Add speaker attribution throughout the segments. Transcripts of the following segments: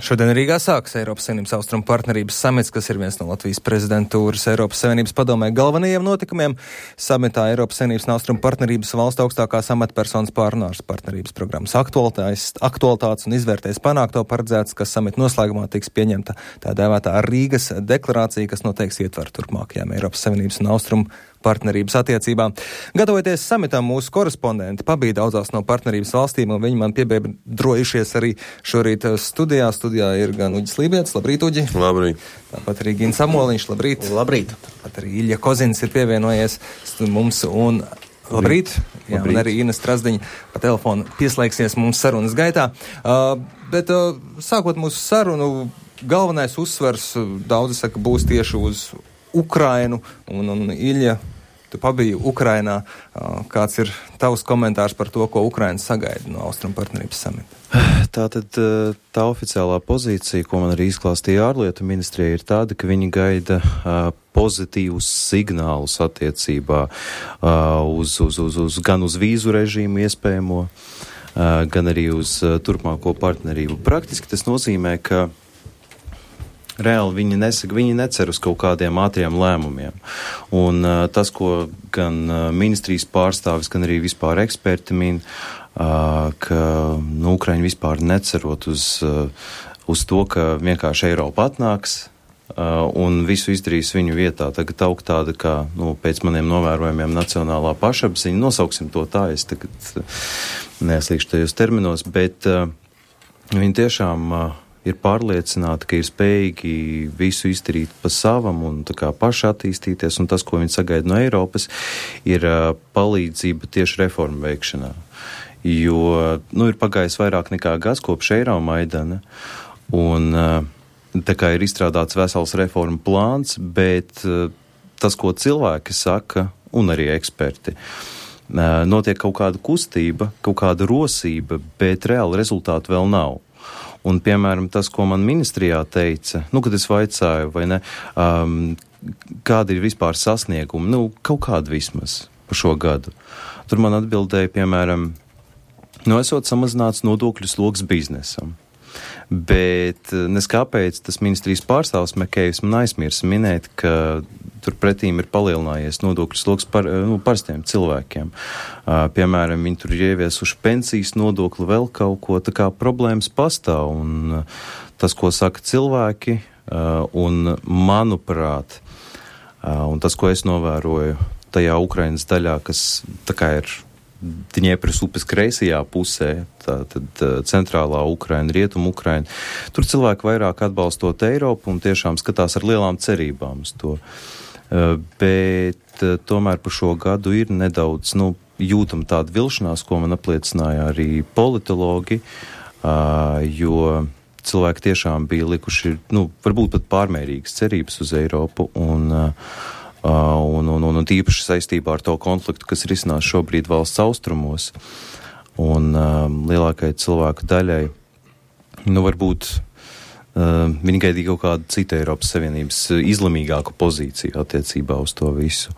Speaker 1: Šodien Rīgā sākas Eiropas Savienības austrumu partnerības samits, kas ir viens no Latvijas prezidentūras Eiropas Savienības padomē galvenajiem notikumiem. Samitā Eiropas Savienības un austrumu partnerības valstu augstākās amatpersonas pārunās partnerības programmas aktualitātes un izvērtēs panākto. Paredzēts, ka samita noslēgumā tiks pieņemta tā dēvētā Rīgas deklarācija, kas noteiks ietvaru turpmākajām Eiropas Savienības un austrumu partnerības attiecībām. Gatavoties samitam, mūsu korespondenti pabija daudzās no partnerības valstīm, un viņi man piebiedrojušies arī šorīt studijā. Studijā ir gan Uģis Lībietis, labrīt, Uģi.
Speaker 2: Labrīt.
Speaker 1: Tāpat arī Gins Samoliņš, labrīt.
Speaker 3: Labrīt.
Speaker 1: Tāpat arī Ilja Kozins ir pievienojies mums, un labrīt. Jā, un arī Ina Strazdiņa pa telefonu pieslēgsies mums sarunas gaitā. Bet sākot mūsu sarunu, galvenais uzsvers, daudzi saka, būs tieši uz Ukrainu, un Ilja, tu pabiji Ukrainā. Kāds ir tavs komentārs par to, ko Ukraina sagaida no austrumu partnerības samita?
Speaker 2: Tātad tā oficiālā pozīcija, ko man arī izklāstīja ārlietu ministrija, ir tāda, ka viņi gaida pozitīvus signālus attiecībā gan uz vīzu režīmu iespējamo, gan arī uz turpmāko partnerību. Praktiski tas nozīmē, ka reāli viņi necer uz kaut kādiem ātriem lēmumiem. Un tas, ko gan ministrijas pārstāvis, gan arī vispār eksperti min, ka Ukraiņi vispār necerot uz to, ka vienkārši Eiropa atnāks un visu izdarīs viņu vietā. Tagad aug tāda, kā pēc maniem novērojumiem nacionālā pašapziņa, nosauksim to tā, es tagad neslīgšu tajos terminos, bet viņi tiešām ir pārliecināti, ka ir spējīgi visu izdarīt pa savam un tā kā paši attīstīties, un tas, ko viņi sagaida no Eiropas, ir palīdzība tieši reformu veikšanā. Jo, ir pagājis vairāk nekā gads kopš Eiromaidana, un tā kā ir izstrādāts vesels reformu plāns, bet tas, ko cilvēki saka, un arī eksperti, notiek kaut kāda kustība, kaut kāda rosība, bet reāli rezultātu vēl nav. Un, piemēram, tas, ko man ministrijā teica, kad es vaicāju, vai ne, kāda ir vispār sasnieguma, kaut kāda vismaz par šo gadu. Tur man atbildēja, piemēram, esot samazināts nodokļu sloks biznesam. Bet neskāpēc tas ministrijas pārstāvs Mekējs man aizmirsa minēt, ka turpretīm ir palielinājies nodokļu sloks parastiem cilvēkiem. Piemēram, viņi tur ir ieviesuši pensijas nodokli, vēl kaut ko, tā kā problēmas pastāv. Un tas, ko saka cilvēki, un manuprāt, un tas, ko es novēroju tajā Ukrainas daļā, kas tā kā ir Dņepras upes kreisajā pusē, tātad centrālā Ukraina, rietumu Ukraina. Tur cilvēki vairāk atbalstot Eiropu un tiešām skatās ar lielām cerībām uz to. Bet tomēr par šo gadu ir nedaudz, jūtam tāda vilšanās, ko man apliecināja arī politologi, jo cilvēki tiešām bija likuši, varbūt pat pārmērīgas cerības uz Eiropu un tīpaši saistībā ar to konfliktu, kas risinās šobrīd valsts austrumos. Un lielākai cilvēku daļai, varbūt viņi gaidīja kaut kādu citu Eiropas Savienības izlemīgāku pozīciju attiecībā uz to visu.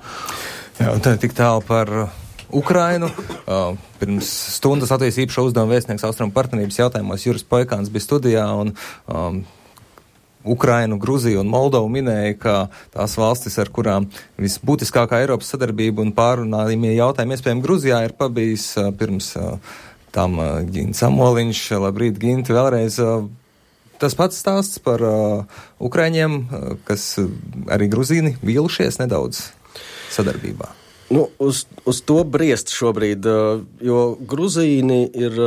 Speaker 1: Jā, un tā tik tālu par Ukrainu. Pirms stundas Latvijas īpašo uzdevumu vēstnieks austrumu partnerības jautājumos Juris Poikāns bija studijā, un Ukrainu, Gruziju un Moldovu minēja, ka tās valstis, ar kurām visbūtiskākā Eiropas sadarbība un pārunājumie jautājumi iespējami Gruzijā ir pabijis pirms tam Gins Samoliņš. Labrīt, Ginti, vēlreiz. Tas pats stāsts par Ukraiņiem, kas arī Gruzīni vīlušies nedaudz sadarbībā.
Speaker 3: Uz to briest šobrīd, jo Gruzīni ir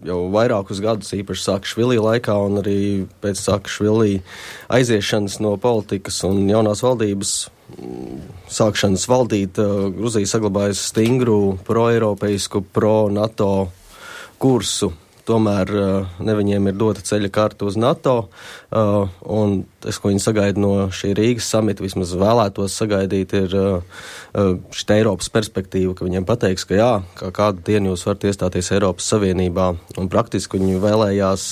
Speaker 3: jau vairākus gadus, īpaši Saakašvili laikā un arī pēc Saakašvili aiziešanas no politikas un jaunās valdības sākšanas valdīt, Gruzija saglabājas stingru pro-eiropeisku, pro-NATO kursu. Tomēr ne viņiem ir dota ceļa karta uz NATO, un tas, ko viņi sagaida no šī Rīgas samita, vismaz vēlētos sagaidīt, ir šī Eiropas perspektīva, ka viņiem pateiks, ka jā, kā kādu dienu jūs varat iestāties Eiropas Savienībā, un praktiski viņi vēlējās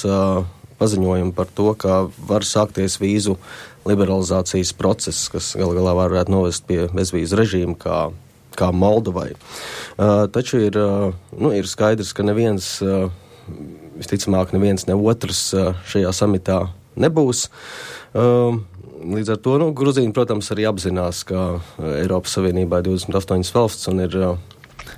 Speaker 3: paziņojumu par to, ka var sākties vīzu liberalizācijas process, kas galā varētu novest pie bezvīzu režīma, kā Moldovai. Taču ir skaidrs, ka neviens visticamāk neviens ne otrs šajā samitā nebūs. Līdz ar to, Gruzīni, protams, arī apzinās, ka Eiropas Savienībā ir 28 valsts un ir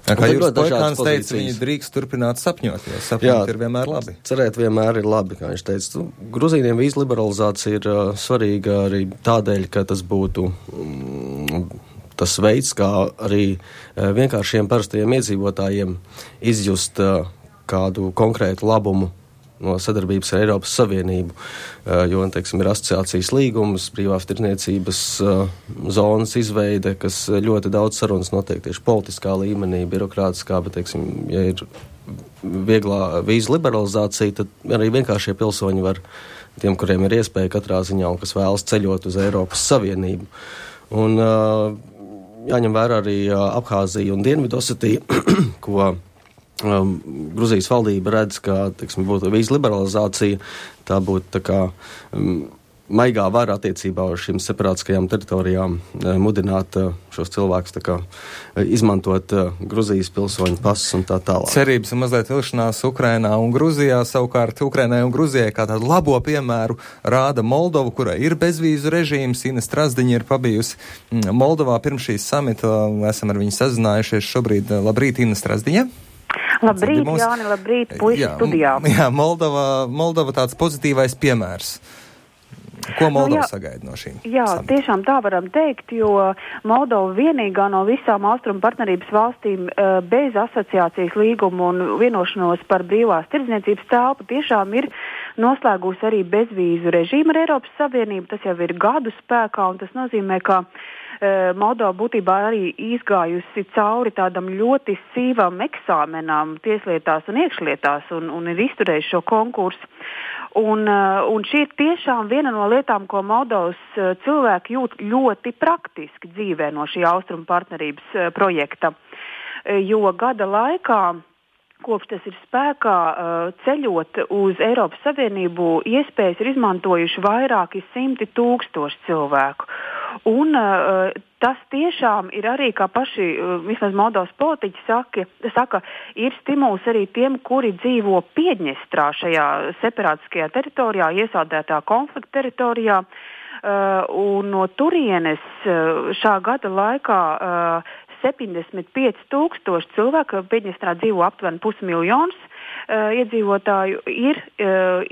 Speaker 1: kā jūs Boikāns teica, viņi drīkst turpināt sapņot, jo sapņot ir vienmēr labi.
Speaker 3: Cerēt vienmēr ir labi, kā viņš teica. Gruzīniem vīzu liberalizācija ir svarīga arī tādēļ, ka tas būtu tas veids, kā arī vienkāršiem parastajiem iedzīvotājiem izjust kādu konkrētu labumu no sadarbības ar Eiropas Savienību, jo, teiksim, ir asociācijas līgums, brīvās tirdzniecības zonas izveide, kas ļoti daudz sarunas notiek tieši politiskā līmenī, birokrātiskā, bet, teiksim, ja ir vieglā vīzu liberalizācija, tad arī vienkāršie pilsoņi var, tiem, kuriem ir iespēja katrā ziņā un kas vēlas ceļot uz Eiropas Savienību. Un jāņem vērā arī Abhāzija un Dienvidosetija, ko Gruzijas valdība redz, ka, teiksim, būtu vīzu liberalizācija, tā būtu tā kā maigā vara attiecībā uz šīm separātiskajām teritorijām mudināt šos cilvēkus tā kā izmantot Gruzijas pilsoņu pasus un tā tālāk.
Speaker 1: Cerības un mazliet vilšanās Ukrainā un Gruzijā, savukārt Ukrainai un Gruzijai kā tādu labo piemēru rāda Moldova, kurai ir bezvīzu režīms. Ina Strazdiņa ir pabijusi Moldovā pirms šīs samita, esam ar viņu sazinājušies šobrīd. Labrīt, Ina Strazdiņa!
Speaker 4: Labrīt, Jāni, labrīt, puiši studijā.
Speaker 1: Jā, Moldova tāds pozitīvais piemērs. Ko Moldova sagaida no šīm?
Speaker 4: Jā, tiešām tā varam teikt, jo Moldova vienīgā no visām austrumu partnerības valstīm bez asociācijas līgumu un vienošanos par brīvās tirdzniecības telpu tiešām ir noslēgusi arī bezvīzu režīmu ar Eiropas Savienību. Tas jau ir gadu spēkā, un tas nozīmē, ka Moldova būtībā arī izgājusi cauri tādam ļoti sīvam eksāmenām tieslietās un iekšlietās un ir izturējuši šo konkursu. Un šī ir tiešām viena no lietām, ko Moldovas cilvēki jūt ļoti praktiski dzīvē no šī austrumu partnerības projekta. Jo gada laikā, kopš tas ir spēkā, ceļot uz Eiropas Savienību, iespējas ir izmantojuši vairāki 100,000 cilvēku. Un tas tiešām ir arī, kā paši vismaz Moldovas politiķi saka, ir stimuls arī tiem, kuri dzīvo Piedņestrā šajā separātiskajā teritorijā, iesaldētā konflikta teritorijā. Un no turienes šā gada laikā 75,000 cilvēku, Piedņestrā dzīvo aptuveni 500,000 iedzīvotāju, ir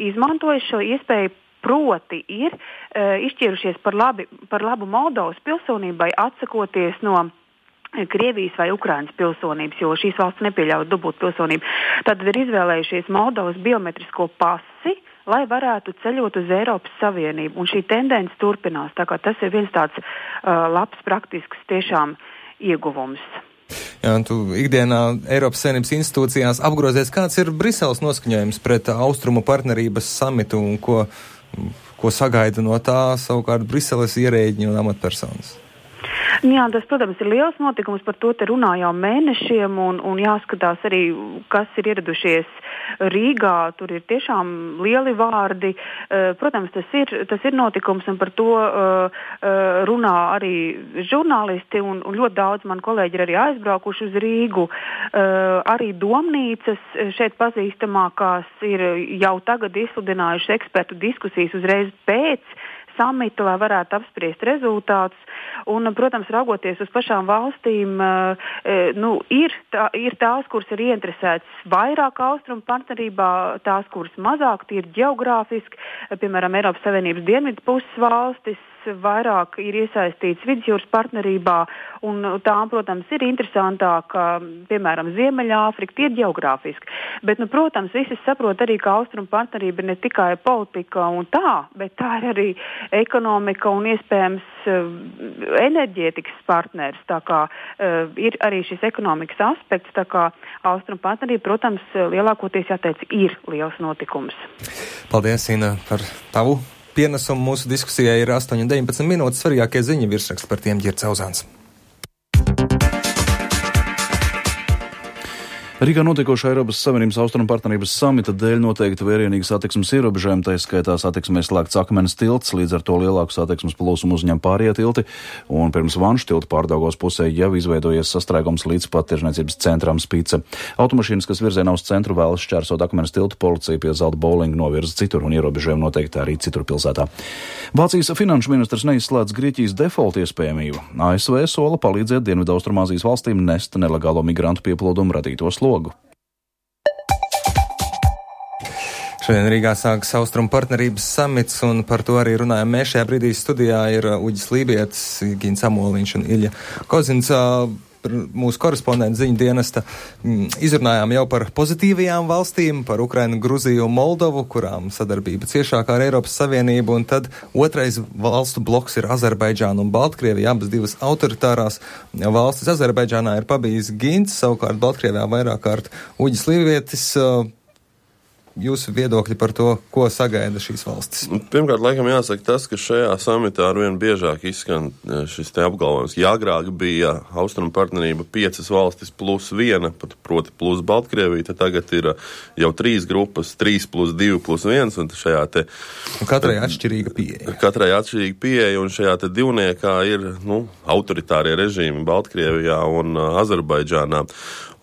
Speaker 4: izmantojuši šo iespēju. Proti ir izšķirušies par labu Moldovas pilsonībai, atsakoties no Krievijas vai Ukrainas pilsonības, jo šīs valsts nepieļauj dubult pilsonību. Tad ir izvēlējušies Moldovas biometrisko pasi, lai varētu ceļot uz Eiropas Savienību. Un šī tendence turpinās. Tā kā tas ir viens tāds labs, praktisks tiešām ieguvums.
Speaker 1: Jā, un tu ikdienā Eiropas Savienības institūcijās apgrozies, kāds ir Briseles noskaņojums pret austrumu partnerības samitu un ko sagaida no tā savukārt Briseles ierēģi un amatpersonas?
Speaker 4: Jā, tas, protams, ir liels notikums, par to te runā jau mēnešiem un jāskatās arī, kas ir ieradušies Rīgā, tur ir tiešām lieli vārdi. Protams, tas ir notikums un par to runā arī žurnālisti un ļoti daudz man kolēģi ir arī aizbraukuši uz Rīgu. Arī domnīcas šeit pazīstamākās ir jau tagad izsludinājuši ekspertu diskusijas uzreiz pēc samita, lai varētu apspriest rezultātus. Un, protams, raugoties uz pašām valstīm, ir tās, kuras ir ieinteresētas vairāk austrumu partnerībā, tās, kuras mazāk, tie ir ģeogrāfiski, piemēram, Eiropas Savienības dienvidu puses valstis, vairāk ir iesaistīts vidusjūras partnerībā, un tām, protams, ir interesantāk, piemēram, Ziemeļāfrika, tie ir ģeogrāfiski. Bet, protams, visi saprot arī, ka austrumu partnerība ir ne tikai politika un tā, bet tā ir arī ekonomika un iespējams enerģētikas partners. Tā kā ir arī šis ekonomikas aspekts, tā kā austrumu partnerība, protams, lielākoties jāteic, ir liels notikums.
Speaker 1: Paldies, Ina, par tavu pienesumu mūsu diskusijai. Ir 8:19 minūtes, svarīgākie ziņu virsraksts, par tiem Ģirds Auzāns.
Speaker 5: Rīgā notiekošā Eiropas Savienības austrumu partnerības samita dēļ noteikti vērienīgi satiksmes ierobežojumi, tā skaitā satiksmē slēgts akmens tilts, līdz ar to lielāku satiksmes plūsmu uzņem pārējie tilti, un pirms Vanšu tilta Pārdaugavas pusē jau izveidojies sastrēgums līdz pat tirzniecības centram Spīce. Automašīnas, kas virzienā uz centru vēlas šķērsot akmens tiltu, policija pie Zelta bowlinga novirza citur, un ierobežojumi noteikti arī citur pilsētā. Vācijas finanšu ministrs neizslēdz Grieķijas default iespējamību. ASV sola palīdzēt Dienvidaustrumāzijas valstīm nest nelegālo migrantu pieplūdumu radīto slogu.
Speaker 1: Šodien Rīgā sākas Austrumu partnerības samits, un par to arī runājam. Mēs šajā brīdī studijā ir Uģis Lībietis, Gins Amoliņš un Ilja Kozins, mūsu korespondenti ziņu dienesta. Izrunājām jau par pozitīvajām valstīm, par Ukrainu, Gruziju un Moldovu, kurām sadarbība ciešākā ar Eiropas Savienību, un tad otrais valstu bloks ir Azerbaidžāna un Baltkrievija, abas divas autoritārās valstis. Azerbaidžānā ir pabijis Gins, savukārt Baltkrievijā vairāk kārt Uģis Lībietis. Jūsu viedokļi par to, ko sagaida šīs valstis?
Speaker 6: Pirmkārt, laikam jāsaka tas, ka šajā samitā arvien biežāk izskan šis te apgalvojums. Ja agrāk bija austrumu partnerība 5 valstis plus 1, proti plus Baltkrievija, tad tagad ir jau 3 grupas, 3 plus 2 plus 1, un šajā te...
Speaker 1: Un katrai atšķirīga pieeja.
Speaker 6: Katrai atšķirīga pieeja, un šajā te divniekā ir, autoritārie režīmi Baltkrievijā un Azerbaidžānā.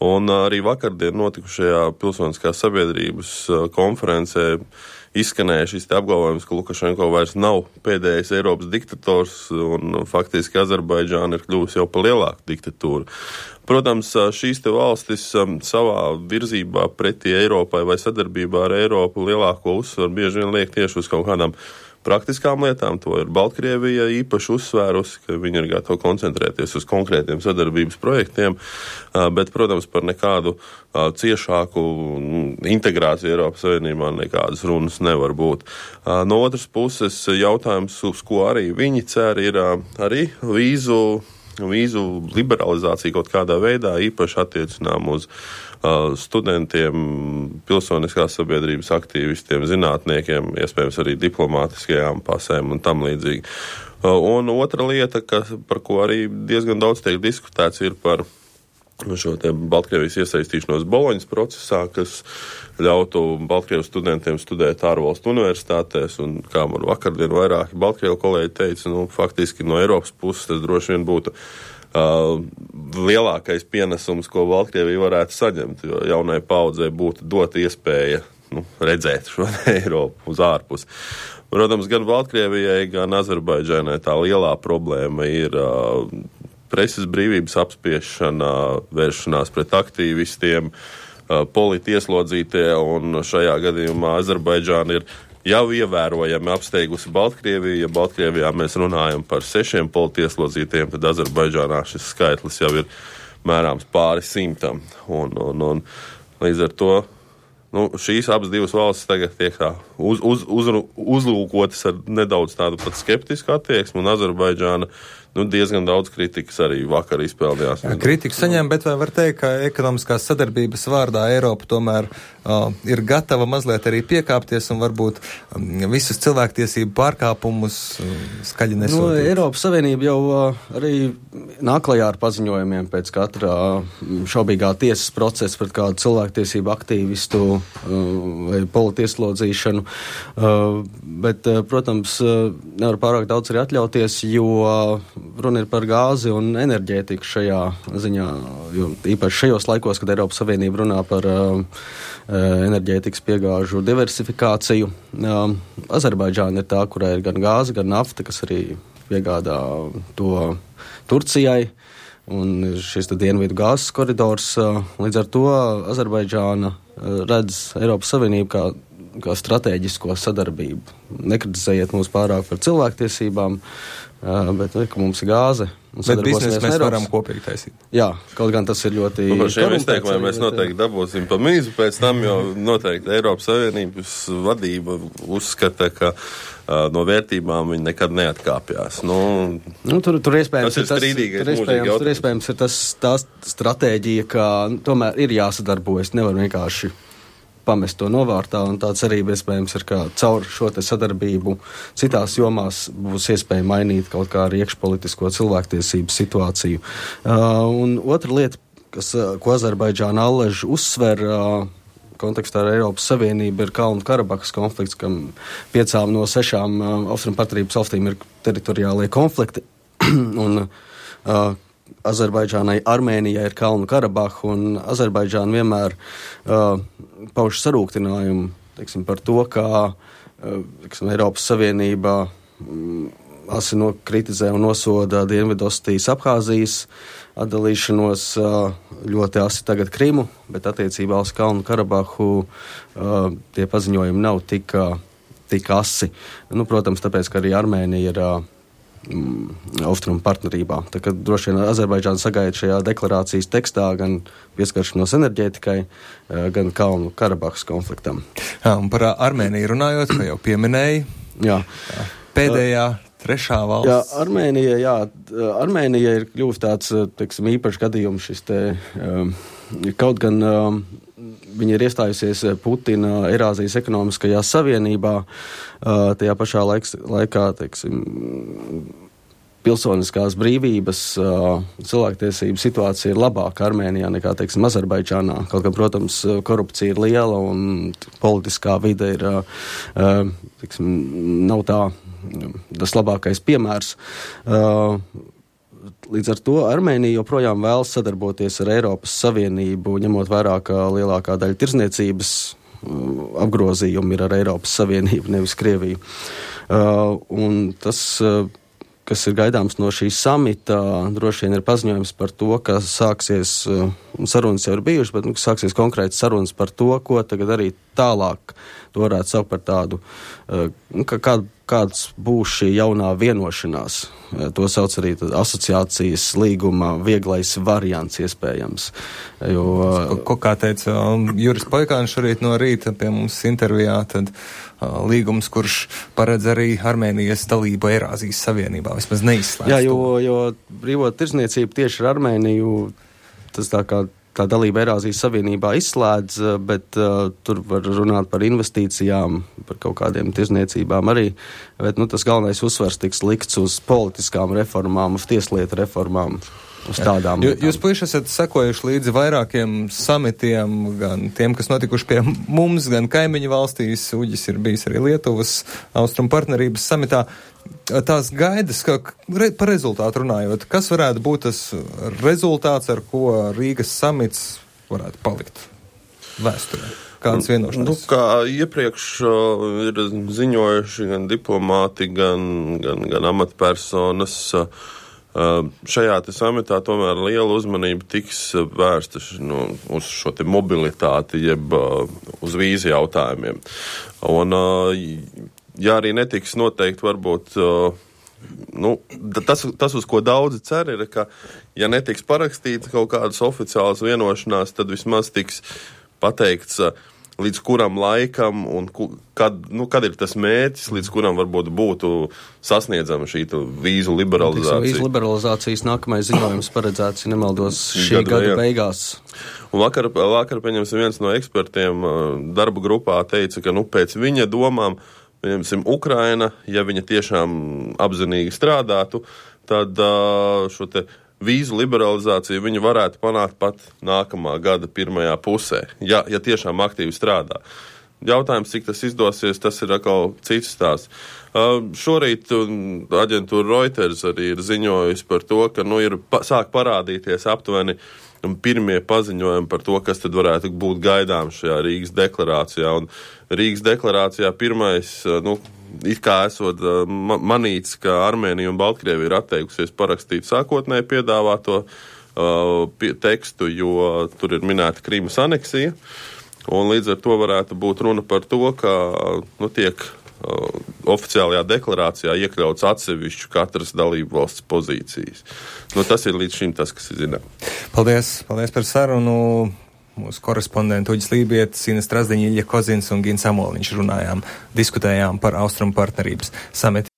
Speaker 6: Un arī vakardien notikušajā pilsoniskās sabiedrības konferencē izskanēja šis apgalvojums, ka Lukašenko vairs nav pēdējais Eiropas diktators, un faktiski Azerbaidžāna ir kļuvusi jau par lielāku diktatūru. Protams, šīs te valstis savā virzībā pretī Eiropai vai sadarbībā ar Eiropu lielāko uzsvaru bieži vien liek tieši uz kaut kādām praktiskām lietām. To ir Baltkrievija īpaši uzsvērusi, ka viņi ir gatavi koncentrēties uz konkrētiem sadarbības projektiem, bet, protams, par nekādu ciešāku integrāciju Eiropas Savienībā nekādas runas nevar būt. No otras puses, jautājums, uz ko arī viņi cer, ir arī vīzu liberalizācija kaut kādā veidā, īpaši attiecinām uz studentiem, pilsoniskās sabiedrības aktīvistiem, zinātniekiem, iespējams arī diplomātiskajām pasēm un tam līdzīgi. Un otra lieta, par ko arī diezgan daudz tiek diskutēts, ir par šo te Baltkrievijas iesaistīšanos Boloņas procesā, kas ļautu Baltkrievijas studentiem studēt ārvalstu universitātēs, un kā man vakardien vairāki Baltkrievu kolēģi teica, faktiski no Eiropas puses tas droši vien būtu lielākais pienesums, ko Baltkrievija varētu saņemt, jo jaunai paudzei būtu dot iespēja redzēt šo Eiropu uz ārpus. Protams, gan Baltkrievijai, gan Azerbaidžānai tā lielā problēma ir preses brīvības apspiešana, vēršanās pret aktīvistiem, politi ieslodzītie, un šajā gadījumā Azerbaidžāna ir jau ievērojami apsteigusi Baltkrieviju. Ja Baltkrievijā mēs runājam par 6 politi ieslodzītiem, tad Azerbaidžānā šis skaitlis jau ir mērāms pāri 100. Un līdz ar to šīs abas divas valstis tagad tiek uzlūkotas ar nedaudz tādu pat skeptisku attieksmi, un Azerbaidžāna diezgan daudz kritikas arī vakar izpeldījās.
Speaker 1: Kritiku saņem, bet vai var teikt, ka ekonomiskās sadarbības vārdā Eiropa tomēr ir gatava mazliet arī piekāpties un varbūt visus cilvēktiesību pārkāpumus skaļi nesodīt?
Speaker 3: Eiropas Savienība jau arī nāk klajā ar paziņojumiem pēc katra šaubīgā tiesas procesa pret kādu cilvēktiesību aktīvistu vai politieslodzīšanu, bet, protams, nevar pārāk daudz arī atļauties, jo runa ir par gāzi un enerģētiku šajā ziņā, jo īpaši šajos laikos, kad Eiropas Savienība runā par enerģētikas piegāžu diversifikāciju. Azerbaidžāna ir tā, kurā ir gan gāze, gan nafta, kas arī piegādā to Turcijai, un šis dienvidu gāzes koridors. Līdz ar to Azerbaidžāna redz Eiropas Savienību kā strateģisko sadarbību. Nekritizējiet mūs pārāk par cilvēktiesībām, bet ka mums ir gāze.
Speaker 1: Bet biznesu mēs varam kopīgi taisīt.
Speaker 3: Jā, kaut gan tas ir ļoti...
Speaker 6: Par šiem izteikumiem mēs noteikti dabūsim pa mīzu pēc tam, jo noteikti Eiropas Savienības vadība uzskata, ka no vērtībām viņi nekad neatkāpjās.
Speaker 3: Tur iespējams
Speaker 6: tas ir strīdīgais mūžīgi jautājums.
Speaker 3: Tur iespējams ir tā stratēģija, ka tomēr ir jāsadarbojas, nevar vienkārši pamest to novārtā, un tā cerība iespējams ir, ka caur šo te sadarbību citās jomās būs iespēja mainīt kaut kā arī iekšpolitisko cilvēktiesību situāciju. Un otra lieta, ko Azerbaidžāna allaž uzsver kontekstā ar Eiropas Savienību, ir Kalnu Karabahas konflikts, kam 5 no 6 Austrumu partnerības valstīm ir teritoriālie konflikti. Un Azerbaidžānai, Armēnijai ir Kalnu Karabaha, un Azerbaidžāna vienmēr pauž sarūktinājumu, teiksim, par to, kā Eiropas Savienība asi kritizē un nosoda Dienvidostijas Abhāzijas atdalīšanos, ļoti asi tagad Krimu, bet attiecībā uz Kalnu Karabahu tie paziņojumi nav tik asi. Nu, protams, tāpēc, ka arī Armēnija ir Austrumu partnerībā. Tā kā droši vien Azerbaidžāna sagaida šajā deklarācijas tekstā gan pieskaršanos enerģētikai, gan Kalnu Karabahas konfliktam.
Speaker 1: Jā, un par Armēniju runājot, kā jau pieminēji, pēdējā trešā valsts.
Speaker 3: Jā, Armēnija ir kļuvusi tāds, teiksim, īpašs gadījums šis te, kaut gan viņa ir iestājusies Putina Eirāzijas ekonomiskajā savienībā, tajā pašā laikā, teiksim, pilsoniskās brīvības, cilvēktiesību situācija ir labāka Armēnijā nekā, teiksim, Azerbaidžānā. Kaut gan, protams, korupcija ir liela un politiskā vide ir, teiksim, nav tas labākais piemērs. Līdz ar to Armēnija joprojām vēlas sadarboties ar Eiropas Savienību, ņemot vērā, ka lielākā daļa tirzniecības apgrozījumi ir ar Eiropas Savienību, nevis Krieviju. Un tas, kas ir gaidāms no šī samita, droši vien ir paziņojums par to, ka sāksies, sarunas jau ir bijušas, bet sāksies konkrētas sarunas par to, ko tagad arī tālāk. To varētu saukt par tādu, kāds būs šī jaunā vienošanās. To sauc arī asociācijas līguma vieglais variants iespējams.
Speaker 1: Kā teica Juris Poikāns šorīt no rīta pie mums intervijā, tad līgums, kurš paredz arī Armēnijas dalību Eirāzijas Savienībā, vismaz neizslēdz.
Speaker 3: Jā, jo brīvo tirzniecību tieši ar Armēniju, tas tā dalība Eirāzijas Savienībā izslēdz, bet tur var runāt par investīcijām, par kaut kādiem tirzniecībām arī, bet tas galvenais uzsvars tiks likts uz politiskām reformām, uz tieslietu reformām, uz tādām.
Speaker 1: Jūs puiši esat sekojuši līdzi vairākiem samitiem, gan tiem, kas notikuši pie mums, gan kaimiņu valstīs. Uģis ir bijis arī Lietuvas Austrumu partnerības samitā. Tās gaidas, par rezultātu runājot, kas varētu būt tas rezultāts, ar ko Rīgas samits varētu palikt vēsturē? Kādas vienošanās?
Speaker 6: Kā iepriekš ir ziņojuši gan diplomāti, gan amatpersonas, šajā te samitā tomēr liela uzmanība tiks vērsta uz šo te mobilitāti, jeb uz vīzu jautājumiem. Un, ja arī netiks noteikti varbūt, tas, uz ko daudzi cer, ir, ka, ja netiks parakstīts kaut kādas oficiālas vienošanās, tad vismaz tiks pateikts, līdz kuram laikam un kad ir tas mērķis, līdz kuram varbūt būtu sasniedzama šī vīzu liberalizācija.
Speaker 3: Vīzu liberalizācijas nākamais ziņojums paredzēts, ja nemaldos, šī gada beigās.
Speaker 6: Un vakar pieņemsim, viens no ekspertiem darba grupā teica, ka pēc viņa domām, pieņemsim, Ukraina, ja viņa tiešām apzinīgi strādātu, tad šo te vīzu liberalizāciju viņi varētu panākt pat nākamā gada pirmajā pusē, ja tiešām aktīvi strādā. Jautājums, cik tas izdosies, tas ir atkal cits stāsts. Šorīt aģentūra Reuters arī ir ziņojusi par to, ka sāk parādīties aptuveni pirmie paziņojumi par to, kas tad varētu būt gaidāms šajā Rīgas deklarācijā. Un Rīgas deklarācijā pirmais, it kā esot manīts, ka Armēnija un Baltkrievija ir atteikusies parakstīt sākotnēji piedāvāto tekstu, jo tur ir minēta Krimas aneksija. Un līdz ar to varētu būt runa par to, ka tiek oficiālajā deklarācijā iekļauts atsevišķu katras dalību valsts pozīcijas. Tas ir līdz šim tas, kas ir zināms.
Speaker 1: Paldies par sarunu. Mūsu korespondenti Uģis Lībietis, Ines Strazdiņa, Ilja Kozins un Gins Amoliņš diskutējām par Austrumu partnerības samitu.